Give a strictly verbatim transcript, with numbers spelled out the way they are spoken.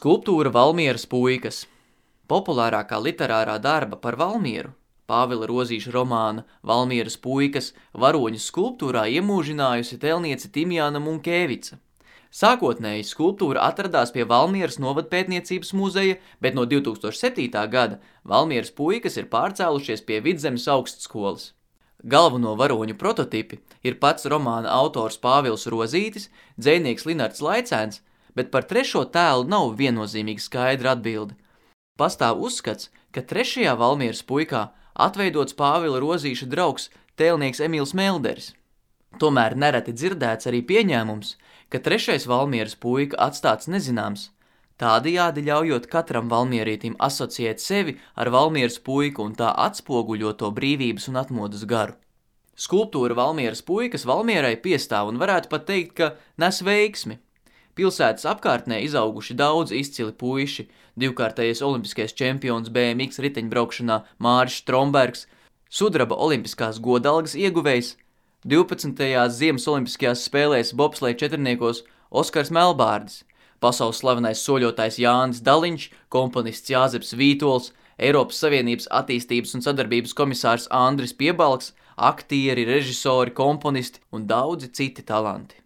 Skulptūra Valmieras puikas. Populārākā literārā darba par Valmieru, Pāvila Rozīša romāna Valmieras puikas varoņu skulptūrā iemūžinājusi tēlniece Timjāna Munkēvica. Sākotnēji skulptūra atradās pie Valmieras novadpētniecības muzeja, bet no divtūkstoš septītā gada Valmieras puikas ir pārcēlušies pie Vidzemes augstskolas. Galveno varoņu prototipi ir pats romāna autors Pāvils Rozītis, dzejnieks Linards Laicēns, bet par trešo tēlu nav viennozīmīgi skaidra atbilde. Pastāv uzskats, ka trešajā Valmieras puikā atveidots Pāvila Rozīša draugs tēlnieks Emīls Melderis. Tomēr nereti dzirdēts arī pieņēmums, ka trešais Valmieras puika atstāts nezināms, tādējādi ļaujot katram valmierītim asociēt sevi ar Valmieras puiku un tā atspoguļoto brīvības un atmodas garu. Skulptūra Valmieras puikas Valmierai piestāv un varētu pat teikt, ka nes veiksmi. Pilsētas apkārtnē izauguši daudz izcili puiši, divkārtējais olimpiskais čempions B M X riteņbraukšanā Māris Strombergs, sudraba olimpiskās godalgas ieguvējs, divpadsmitajās Ziemas olimpiskajās spēlēs bobsleja četrniekos Oskars Melbārdis, pasaules slavenais soļotājs Jānis Daliņš, komponists Jāzeps Vītols, Eiropas Savienības attīstības un sadarbības komisārs Andris Piebalgs, aktieri, režisori, komponisti un daudzi citi talanti.